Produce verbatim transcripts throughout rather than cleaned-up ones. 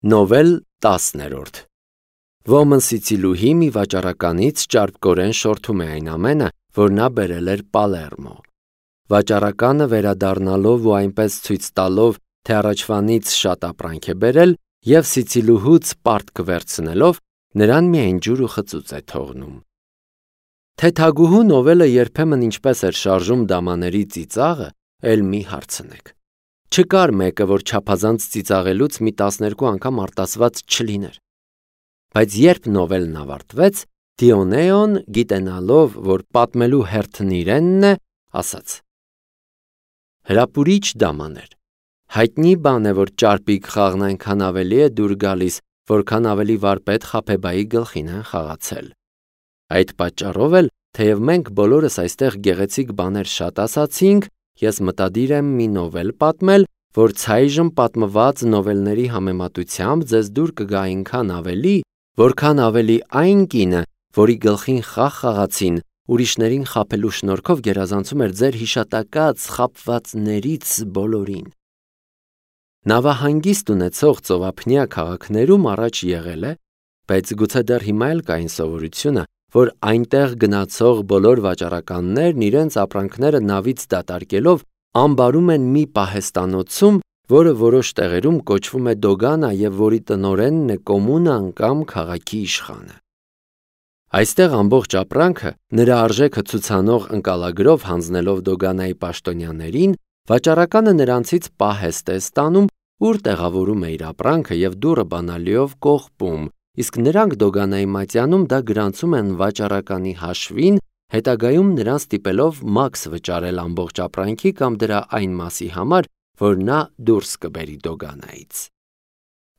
Նովել տասներորդ Ոմն Սիցիլուհի մի վաճառականից ճարպկորեն շորթում է այն ամենը, որ նա բերել էր Պալերմո։ Վաճառականը վերադառնալով ու այնպես ցույց տալով, թե առաջվանից շատ ապրանք է բերել, և Սիցիլուհուց պարտք վերցնելով, նրան միայն ջուր ու խծուծ է թողնում։ Թեթագուհու նովելը երբեմն ինչպես էր շարժում դամաների ծիծաղը, էլ մի հարցնեք։ Չկար մեկը, որ չափազանց ծիծաղելուց մի տասներկու անգամ արտասված չլիներ։ Բայց երբ նովելն ավարտվեց, Դիոնեոն, գիտենալով, որ պատմելու հերթն իրենն է, ասաց. Հրապուրիչ դամաներ, հայտնի բան է, որ ճարպիկ խաղն այնքան ավելի է դուր գալիս, որքան ավելի վարպետ Խաբեբայի գլխին են խաղացել։ Այդ պատճառով էլ, թեև մենք բոլորս այստեղ գեղեցիկ բաներ շատ ասացինք, ես մտադիր եմ մի նովել պատմել, որ ցայժմ պատմված նովելների համեմատությամբ ձեզ դուր կգա այնքան ավելի, որքան ավելի այն կինը, որի գլխին խաղ խաղացին, ուրիշներին խաբելու շնորհքով գերազանցում էր ձեր հիշատակած խաբվածներից բոլորին։ Նավահանգիստ ունեցող ծովափնյա քաղաքներում առաջ եղել է, բայց գուցե դեռ հիմա էլ կա այն սովորությունը, որ այնտեղ գնացող բոլոր վաճառականներն իրենց ապրանքները նավից դատարկելով ամբարում են մի պահեստանոցում, որը որոշ տեղերում կոչվում է Դոգանա և որի տնօրենն է կոմունան կամ քաղաքի իշխանը։ Այստեղ ամբողջ ապրանքը նրա արժեքը ցուցանող ընկալագրով հանձնելով Դոգանայի պաշտոնյաներին, վաճառականը նրանցից պահեստ է ստանում, ուր տեղավորում է իր ապրանքը և դուռը բանալիով կողպում, իսկ նրանք Դոգանայի մատյանում դա գրանցում են վաճառականի հաշվին, հետագայում նրան ստիպելով մաքս վճարել ամբողջ ապրանքի կամ դրա այն մասի համար, որ նա դուրս կբերի Դոգանայից։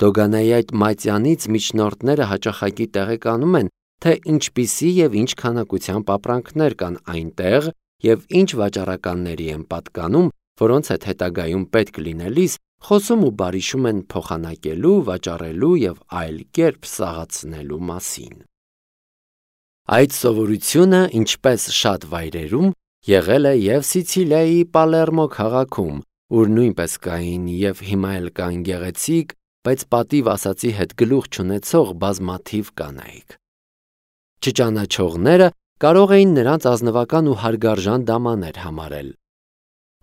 Դոգանայի այդ մատյանից միջնորդները հաճախակի տեղեկանում են, թե ինչպիսի և ինչ քանակությամբ ապրանքներ կան այնտեղ և ինչ վաճառականների են պատկանում, որոնց հետ հետագայում պետք լինելիս խոսում ու բարիշում են փոխանակելու, վաճառելու և այլ կերպ սաղացնելու մասին։ Այդ սովորությունը, ինչպես շատ վայրերում, եղել է և Սիցիլիայի Պալերմո քաղաքում, ուր նույնպես կային և հիմա էլ կան գեղեցիկ, բայց պատիվ ասածի հետ գլուխ չունեցող բազմաթիվ կանայք։ Չճանաչողները կարող էին նրանց ազնվական ու հարգարժան դամաներ համարել։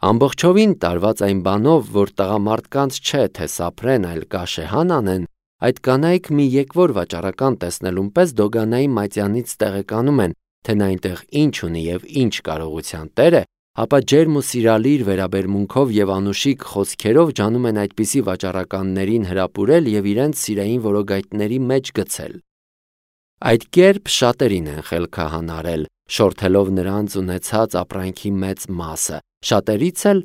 Ամբողջովին տարված այն բանով, որ տղամարդկանց չէ, թե սափրեն, այլ կաշեհան անեն, այդ կանայք մի եկվոր վաճառական տեսնելուն պես Դոգանայի մատյանից տեղեկանում են, թե նա այնտեղ ինչ ունի և ինչ կարողության տեր է, ապա ջերմ ու սիրալիր վերաբերմունքով և անուշիկ խոսքերով ջանում են այդպիսի վաճառականներին հրապուրել և իրենց սիրային որոգայթների մեջ գցել։ Այդ կերպ շատերին են խելքահանարել, շորթելով նրանց ունեցած ապրանքի մեծ մասը, շատերից էլ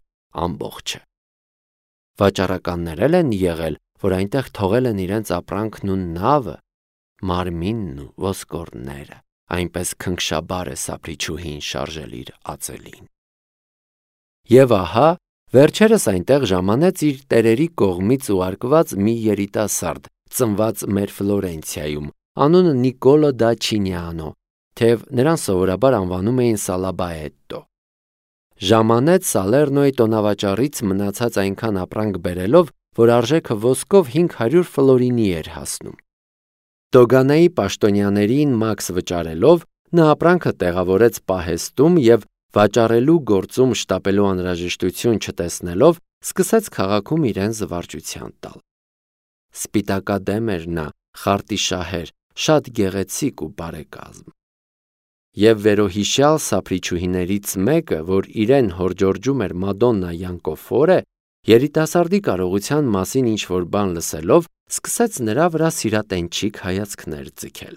ամբողջը։ Վաճառականներ էլ են եղել, որ այնտեղ թողել են իրենց ապրանքն ու նավը, մարմինն ու ոսկորները, այնպես քնքշաբար է սափրիչուհին շարժել իր ածելին։ Եվ ահա, վերջերս այնտեղ ժամանեց իր տերերի կողմից ուղարկված մի երիտասարդ, ծնված մեր Ֆլորենցիայում, անունը Նիկոլո դա Չինիանո, թեև նրան սովորաբար անվանում էին Սալաբաետտո։ Ժամանեց Սալերնոյի տոնավաճառից մնացած այնքան ապրանք բերելով, որ արժեքը ոսկով հինգ հարյուր ֆլորինի էր հասնում։ Դոգանայի պաշտոնյաներին մաքս վճարելով, նա ապրանքը տեղավորեց պահեստում և վաճառելու գործում շտապելու անհրաժեշտություն չտեսնելով, սկսեց քաղաքում իրեն զվարճության տալ։ Սպիտակադեմ էր նա, խարտիշահեր, շատ գեղեցիկ ու բարեկազմ։ Եվ վերոհիշյալ սափրիչուհիներից մեկը, որ իրեն հորդորջում էր Մադոննա Յանկոֆորե, երիտասարդի կարողության մասին ինչ-որ բան լսելով, սկսեց նրա վրա սիրատենչիկ հայացքներ ձգել։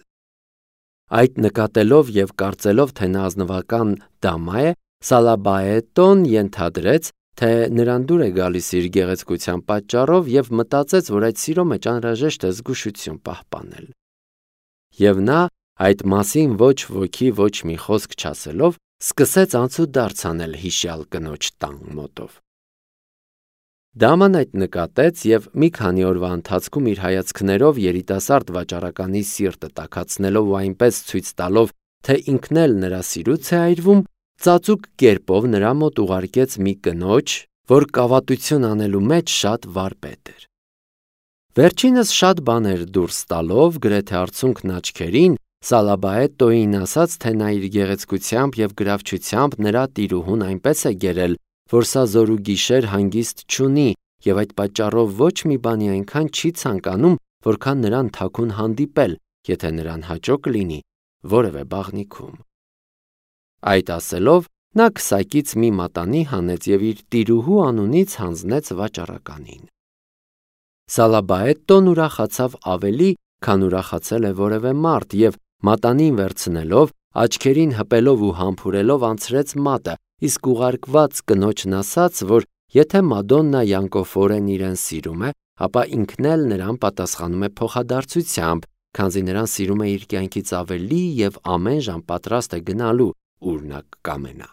Այդ նկատելով և կարծելով, թե նա ազնվական դամա է, Սալաբաետտոն ենթադրեց, թե նրան դուր է գալիս իր գեղեցկության պատճառով և մտածեց, որ այդ սիրո մեջ անհրաժեշտ է զգուշություն պահպանել։ Եվ նա, այդ մասին ոչ ոքի ոչ մի խոսք չասելով, սկսեց անցուդարձ անել հիշյալ կնոջ տան մոտով։ Դաման այդ նկատեց և մի քանի օրվա ընթացքում իր հայացքներով երիտասարդ վաճառականի սիրտը տաքացնելով ու այնպես ցույց տալով, թե ինքն էլ նրա սիրուց է այրվում, ծածուկ կերպով նրա մոտ ուղարկեց մի կնոջ, որ կավատություն անելու մեջ շատ վարպետ էր։ Վերջինս շատ բաներ դուրս տալով, գրեթե արցունքն աչքերին, Սալաբաետոին ասաց, թե նա իր գեղեցկությամբ և գրավչությամբ նրա տիրուհուն այնպես է գերել, որ սա զորուգիշեր հանգիստ չունի և այդ պատճառով ոչ մի բանի այնքան չի ցանկանում, որքան նրան թաքուն հանդիպել, եթե նրան հաճո կլինի որևէ բաղնիքում։ Այդ ասելով, նա քսակից մի մատանի հանեց և իր տիրուհու անունից հանձնեց վաճառականին։ Սալաբաետոն ուրախացավ ավելի, քան ուրախացել է որևէ մարդ, և մատանին վերցնելով, աչքերին հպելով ու համբուրելով անցրեց մատը, իսկ ուղարկված կնոջն ասաց, որ եթե Մադոննա յանկոֆորեն իրեն սիրում է, ապա ինքն էլ նրան պատասխանում է փոխադարձությամբ, քանզի նրան սիրում է իր կյանքից ավելի և ամեն ժամ պատրաստ է գնալու, ուր նա կկամենա։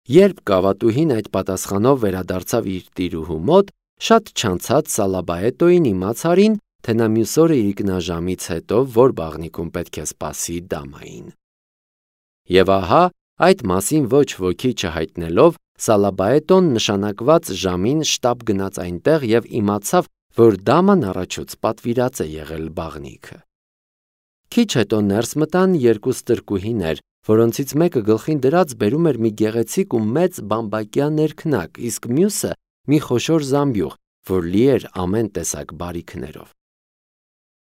Երբ կավատուհին այդ պատասխանով վերադարձավ իր տիրուհու մոտ, շատ չանցած Սալաբաետոին իմացարին, թե նա մյուս օրը իրիկնաժամից հետո որ բաղնիքում պետք է սպասի դամային։ Եվ ահա, այդ մասին ոչ ոքի չհայտնելով, Սալաբաետոն նշանակված ժամին շտապ գնաց այնտեղ և իմացավ, որ դաման առաջուց պատվիրած է եղել բաղնիքը։ Քիչ հետո ներս մտան երկու ստրկուհիներ, որոնցից մեկը գլխին դրած բերում էր մի գեղեցիկ ու մեծ բամբակյա ներքնակ, իսկ մյուսը մի խոշոր զամբյուղ, որ լի էր ամեն տեսակ բարիքներով։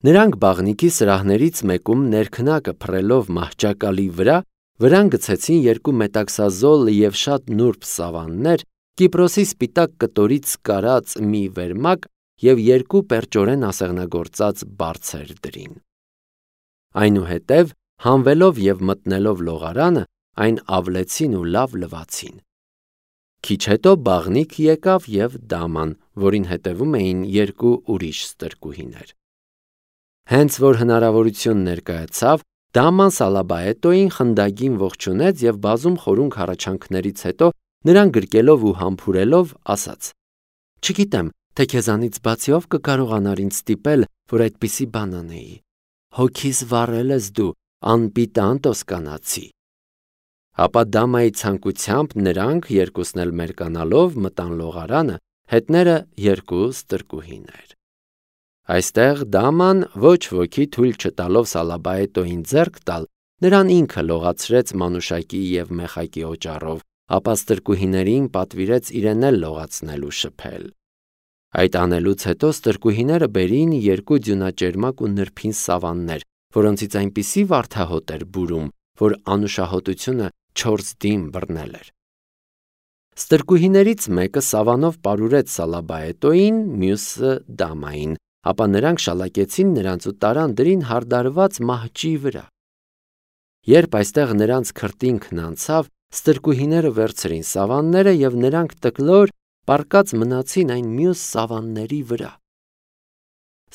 Նրանք բաղնիքի սրահներից մեկում ներքնակը փռելով մահճակալի վրա, վրան գցեցին երկու մետաքսազոլ և շատ նուրբ սավաններ, Կիպրոսի սպիտակ կտորից կարած մի վերմակ և երկու պերճորեն ասեղնագործած բարձեր դրին։ Այնուհետև, հանվելով և մտնելով լողարանը, այն ավլեցին ու լավ լվացին։ Քիչ հետո բաղնիք եկավ և դաման, որին հետևում էին երկու ուրիշ ստրկուհիներ։ Հենց որ հնարավորություն ներկայացավ, դաման Սալաբաետոին խնդագին ողջունեց և բազում խորունկ հառաչանքներից հետո նրան գրկելով ու համբուրելով ասաց. «Չգիտեմ, թե քեզանից բացի ով կկարողանար ինձ ստիպել, որ այդպիսի բան անեի։ Հոգիս վառել ես դու, անպիտան տոսկանացի»։ Ապա դամայի ցանկությամբ նրանք, երկուսն էլ մերկանալով, մտան լողարանը, հետները երկու ստրկուհիներ։ Այստեղ դաման, ոչ ոքի թույլ չտալով Սալաբաետոին ձեռք տալ, նրան ինքը լողացրեց մանուշակի և մեխակի օճառով, ապա ստրկուհիներին պատվիրեց իրեն էլ լողացնել ու շփել։ Այդ անելուց հետո ստրկուհիները բերին երկու ձյունաճերմակ ու նրբին սավաններ, որոնցից այնպիսի վարդահոտ էր բուրում, որ անուշահոտությունը չորս դին բռնել էր։ Ստրկուհիներից մեկը սավանով պարուրեց Սալաբաետոին, մյուսը դամային, ապա նրանք շալակեցին նրանց ու տարան դրին հարդարված մահճի վրա։ Երբ այստեղ նրանց քրտինքն անցավ, ստրկուհիները վերցրին սավանները և նրանք տկլոր պառկած մնացին այն մյուս սավանների վրա։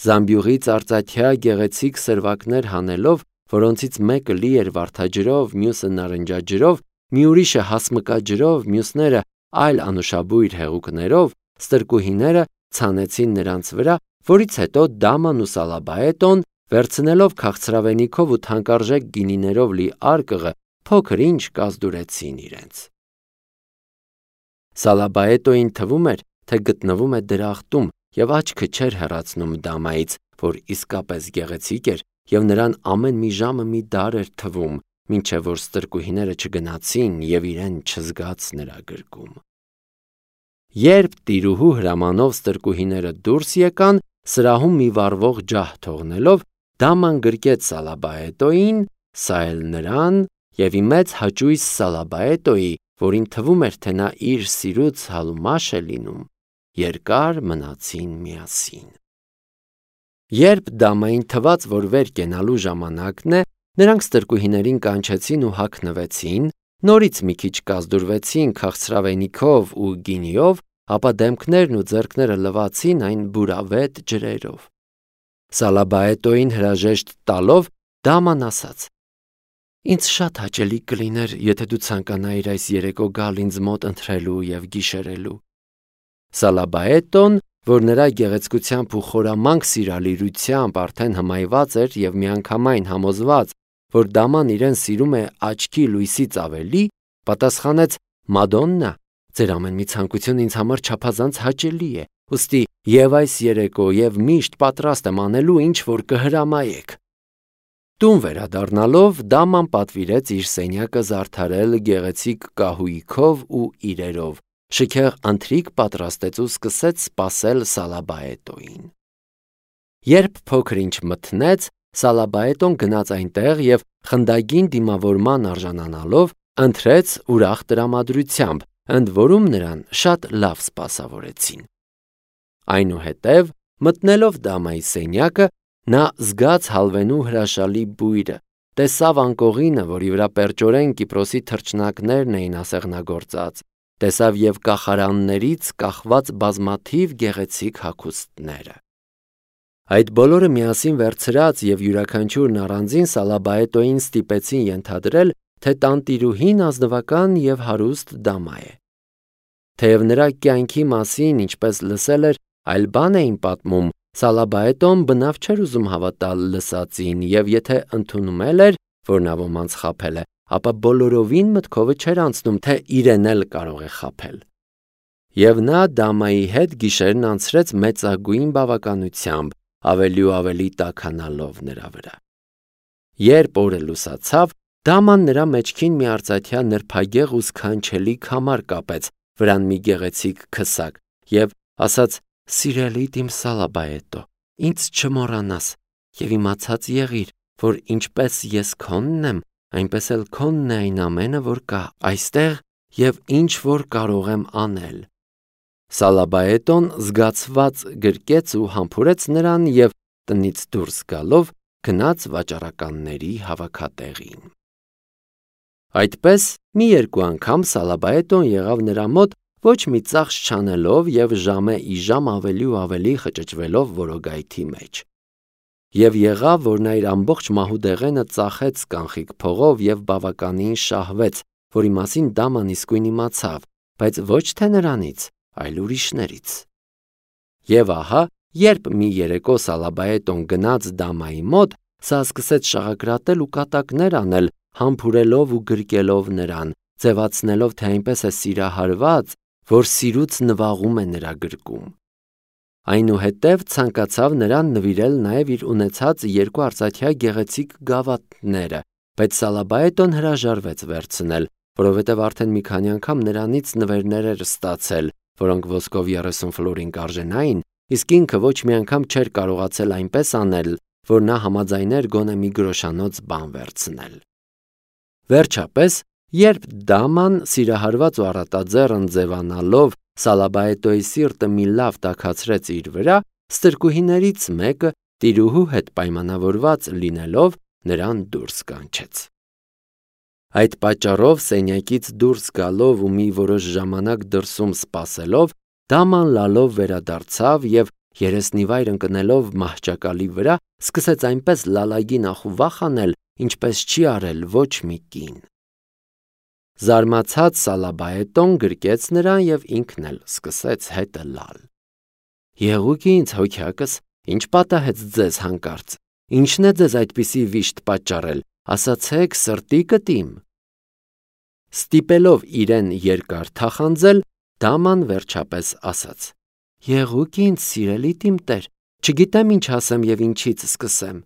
Զամբյուղից արծաթյա գեղեցիկ սրվակներ հանելով, որոնցից մեկը լի էր վարդաջրով, մյուսը նարնջաջրով, մի ուրիշը հասմկաջրով, մյուսները այլ անուշաբույր հեղուկներով, ստրկուհիները ցանեցին նրանց վրա, որից հետո դաման ու Սալաբաետոն, վերցնելով քաղցրավենիքով ու թանկարժեք գինիներով լի արկղը, փոքր ինչ կազդուրեցին իրենց։ Սալաբաետոին թվում էր, թե գտնվում է դրախտում և աչքը չէր հեռացնում դամայից, որ իսկապես գեղեցիկ էր և նրան ամեն մի ժամը մի դար էր թվում, մինչև որ ստրկուհիները չգնացին և իրեն չզգաց նրա գրկում։ Երբ տիրուհու հրամանով ստրկուհիները դուրս եկան, սրահում մի վառվող ջահ թողնելով, դաման գրկեց Սալաբաետոին, սա էլ նրան և ի մեծ հաճույս Սալաբաետոյի, որին թվում էր, թե նա իր սիրուց հալումաշ է լինում, երկար մնացին միասին։ Երբ դամային թվաց, որ վեր կենալու ժամանակն է, նրանք ստրկուհիներին կանչեցին ու հագնվեցին, նորից մի քիչ կազդուրվեցին քաղցրավենիքով ու գինիով, ապա դեմքներն ու ձեռքները լվացին այն բուրավետ ջրերով։ Սալաբաետոին հրաժեշտ տալով, դաման ասաց. «Ինձ շատ հաճելի կլիներ, եթե դու ցանկանայիր այս երեկո գալ ինձ մոտ ընթրելու և գիշերելու»։ Սալաբաետոն, որ նրա գեղեցկությամբ ու խորամանկ սիրալիրությամբ արդեն հմայված էր և միանգամայն համոզված, որ դաման իրեն սիրում է աչքի լույսից ավելի, պատասխանեց. «Մադոննա, ձեր ամեն մի ցանկություն ինձ համար չափազանց հաճելի է, ուստի եւ այս երեկո եւ միշտ պատրաստ եմ անելու ինչ որ կհրամայեք։ Տուն վերադառնալով դաման պատվիրեց իր սենյակը զարդարել գեղեցիկ կահույքով ու իրերով, շքեղ ընթրիք պատրաստեց ու սկսեց սպասել Սալաբաետոին։ Երբ փոքր-ինչ մթնեց, Սալաբաետոն գնաց այնտեղ եւ խնդագին դիմավորման արժանանալով ընթրեց ուրախ տրամադրությամբ, ընդ որում նրան շատ լավ սպասավորեցին։ Այնուհետև, մտնելով դամայի սենյակը, նա զգաց հալվենու հրաշալի բույրը, տեսավ անկողինը, որի վրա պերճորեն Կիպրոսի թռչնակներն էին ասեղնագործած, տեսավ եւ կախարաններից կախված բազմաթիվ գեղեցիկ հագուստները։ Այդ բոլորը միասին վերցրած եւ յուրաքանչյուրն առանձին Սալաբաետոին ստիպեցին ենթադրել, թե տանտիրուհին ազնվական եւ հարուստ դամա է։ Թեև նրա կյանքի մասին, ինչպես լսել էր, այլ բան էին պատմում, Սալաբաետոն բնավ չէր ուզում հավատալ լսածին եւ եթե ընդունում էր, որ նա ոմանց խաբել է, ապա բոլորովին մտքովը չէր անցնում, թե իրեն էլ կարող է խաբել։ Եվ նա դամայի հետ գիշերն անցրեց մեծագույն բավականությամբ, ավելի ու ավելի տաքանալով նրա վրա։ Երբ օրը լուսացավ, դաման նրա մեջքին մի արծաթյա նրբագեղ ու սքանչելի քամար կապեց, վրան մի գեղեցիկ քսակ, եւ ասաց. «Սիրելի իմ Սալաբաետո, ինձ չմոռանաս եւ իմացած եղիր, որ ինչպես ես քոնն եմ, այնպես էլ քոնն է այն ամենը, որ կա այստեղ եւ ինչ որ կարող եմ անել»։ Սալաբաետոն զգացված գրկեց ու համբուրեց նրան եւ տնից դուրս գալով գնաց վաճառականների հավաքատեղին։ Այդպես մի երկու անգամ Սալաբաետոն եղավ նրա մոտ, ոչ մի ծախս չանելով եւ ժամե ի ժամ ավելի ու ավելի խճճվելով որոգայթի մեջ։ Եվ եղավ, որ նա իր ամբողջ մահուդեղենը ծախեց կանխիկ փողով եւ բավականին շահվեց, որի մասին դաման իսկույն իմացավ, բայց ոչ թե նրանից, այլ ուրիշներից։ Եվ ահա, երբ մի երեկո Սալաբաետոն գնաց դամայի մոտ, սա սկսեց շաղակրատել ու կատակներ անել, համբուրելով ու գրկելով նրան, ձևացնելով, թե այնպես է սիրահարված, որ սիրուց նվաղում է նրա գրկում։ Այնուհետև ցանկացավ նրան նվիրել նաև իր ունեցած երկու արծաթյա գեղեցիկ գավաթները, բայց Սալաբաետոն հրաժարվեց վերցնել, որովհետև արդեն մի քանի անգամ նրանից նվերներ էր ստացել, որոնք ոսկով երեսուն ֆլորին կարժենային, իսկ ինքը ոչ մի անգամ չէր կարողացել այնպես անել, որ նա համաձայներ գոնե մի գրոշանոց բան վերցնել։ Վերջապես, երբ դաման սիրահարված ու առատաձեռն ձևանալով Սալաբաետոյի սիրտը մի լավ տաքացրեց իր վրա, ստրկուհիներից մեկը տիրուհու հետ պայմանավորված լինելով նրան դուրս կանչեց։ Այդ պատճառով սենյակից դուրս գալով ու մի որոշ ժամանակ դրսում սպասելով, դաման լալով վերադարձավ եւ երեսնիվայր ընկնելով մահճակալի վրա, սկսեց այնպես լալագին ախուվախ անել, ինչպես չի արել ոչ մի կին։ Զարմացած Սալաբաետոն գրկեց նրան եւ ինքն էլ սկսեց հետը լալ։ Եղուկ ինձ հոգյակս, ինչ պատահեց ձեզ հանկարծ, ինչն է ձեզ այդպիսի վիշտ պատճառել, ասացեք սրտի կտիմ։ Ստիպելով իրեն երկար թախանձել, դաման վերջապես ասաց. Եղուկ ինձ սիրելի իմ տեր, չգիտեմ ինչ ասեմ եւ ինչից սկսեմ։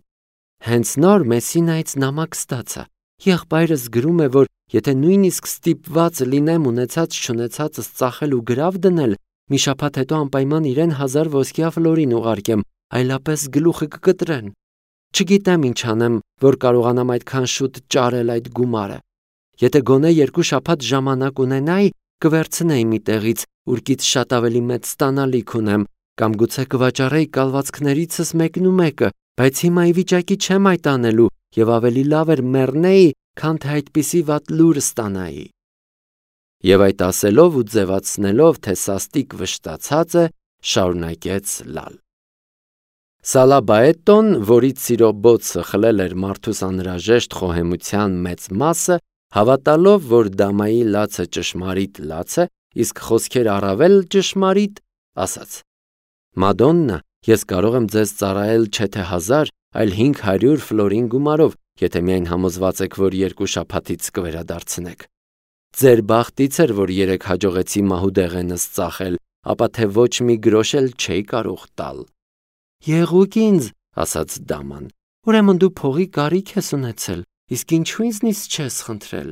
Հենց նոր Մեսինայից նամակ ստացա։ Եղբայրս գրում է, որ եթե նույնիսկ ստիպված լինեմ ունեցած չունեցածս ծախել ու գրավ դնել, մի շաբաթ հետո անպայման իրեն հազար ոսկյա ֆլորին ուղարկեմ, այլապես գլուխը կկտրեն։ Չգիտեմ ինչ անեմ, որ կարողանամ այդքան շուտ ճարել այդ գումարը։ Եթե գոնե երկու շաբաթ ժամանակ ունենայի, կվերցնեի մի տեղից, ուրկից շատ ավելի մեծ ստանալիք ունեմ, կամ գուցե կվաճառեի կալվածքներիցս մեկն ու մեկը, բայց հիմա ի վիճակի չեմ այդ անելու եւ ավելի լավ էր մեռնեի, քան թե այդպիսի վատ լուր ստանայի։ Եվ այդ ասելով ու ձևացնելով, թե սաստիկ վշտացած է, շարունակեց լալ։ Սալաբաետոն, որից սիրո բոցը խլել էր մարդուս անհրաժեշտ խոհեմության մեծ մասը, հավատալով, որ դամայի լացը ճշմարիտ լաց է, իսկ խոսքեր առավել ճշմարիտ, ասաց. Մադոննա, ես կարող եմ ձեզ ծառայել չէ թե հազար, այլ հինգ հարյուր ֆլորին գումարով, եթե միայն համոզված եք, որ երկու շաբաթից կվերադարձնեք։ Ձեր բախտից էր, որ երեք հաջողեցի մահուդեղենս ծախել, ապա թե ոչ մի գրոշ էլ չէի կարող տալ։ Եղուկ ինձ, ասաց դաման, ուրեմն դու փողի կարիք ես ունեցել, իսկ ինչու ինձնից չես խնդրել։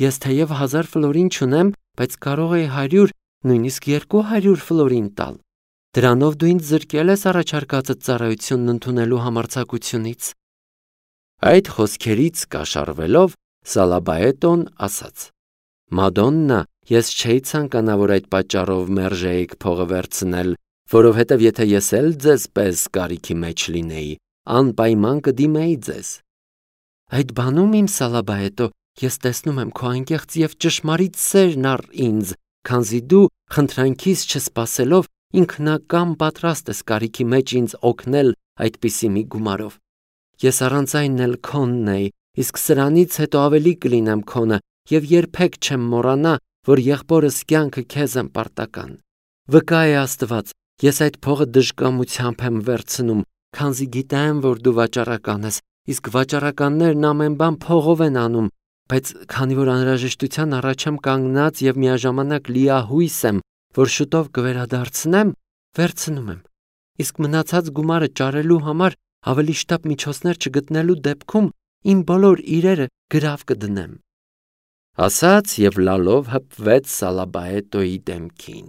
Ես թեև հազար ֆլորին չունեմ, բայց կարող էի հարյուր, նույնիսկ երկու հարյուր ֆլորին տալ։ Դրանով դու ինձ զրկել ես առաջարկածդ ծառայությունն ընդունելու համարձակությունից։ Այդ խոսքերից կաշառվելով Սալաբաետոն ասաց. Մադոննա, ես չէի ցանկանա, որ այդ պատճառով մերժեիք փողը վերցնել, որովհետև եթե ես էլ ձեզ պես կարիքի մեջ լինեի, անպայման կդիմեի ձեզ։ Այդ բանում, իմ Սալաբաետո, ես տեսնում եմ քո անկեղծ և ճշմարիտ սերն առ ինձ, քանզի դու խնդրանքիս չսպասելով ինքնակամ պատրաստ ես կարիքի մեջ ինձ օգնել այդպիսի մի գումարով։ Ես առանց այն էլ քոնն էի, իսկ սրանից հետո ավելի կլինեմ քոնը և երբեք չեմ մոռանա, որ եղբորս կյանքը քեզ եմ պարտական։ Վկա է Աստված, ես այդ փողը դժկամությամբ եմ վերցնում, քանզի գիտեմ, որ դու վաճառական ես, իսկ վաճառականներն ամեն բան փողով են անում, բայց քանի որ անհրաժեշտության առաջ եմ կանգնած և միաժամանակ լիահույս եմ, որ շուտով կվերադարձնեմ, վերցնում եմ, իսկ մնացած գումարը ճարելու համար ավելի շտապ միջոցներ չգտնելու դեպքում իմ բոլոր իրերը գրավ կդնեմ։ Ասաց և լալով հպվեց Սալաբաետոյի դեմքին։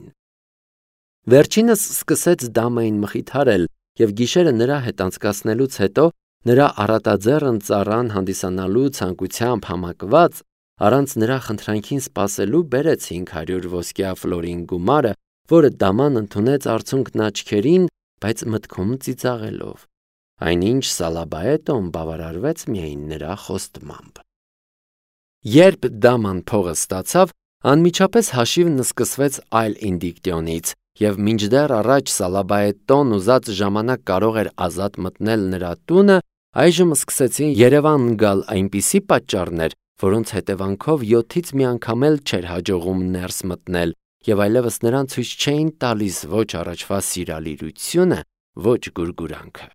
Վերջինս սկսեց դամային մխիթարել և գիշերը նրա հետ անցկացնելուց հետո նրա առատաձեռն ծառան հանդիսանալու ցանկությամբ համակված առանց նրա խնդրանքին սպասելու բերեց հինգ հարյուր ոսկյա ֆլորին գումարը, որը դաման ընդունեց արցունքն աչքերին, բայց մտքում ծիծաղելով։ Այնինչ Սալաբաետոն բավարարվեց միայն նրա խոստմամբ։ Երբ դաման փողը ստացավ, անմիջապես հաշիվն սկսվեց այլ ինդիկտիոնից, և մինչդեռ առաջ Սալաբաետոն ուզած ժամանակ կարող էր ազատ մտնել նրա տունը, այժմ սկսեցին Երևան գալ այնպիսի պատճառներ, որոնց հետևանքով յոթից մի անգամ էլ չէր հաջողում ներս մտնել, և այլևս նրան ցույց չէին տալիս ոչ առաջվա սիրալիրությունը, ոչ գուրգուրանքը։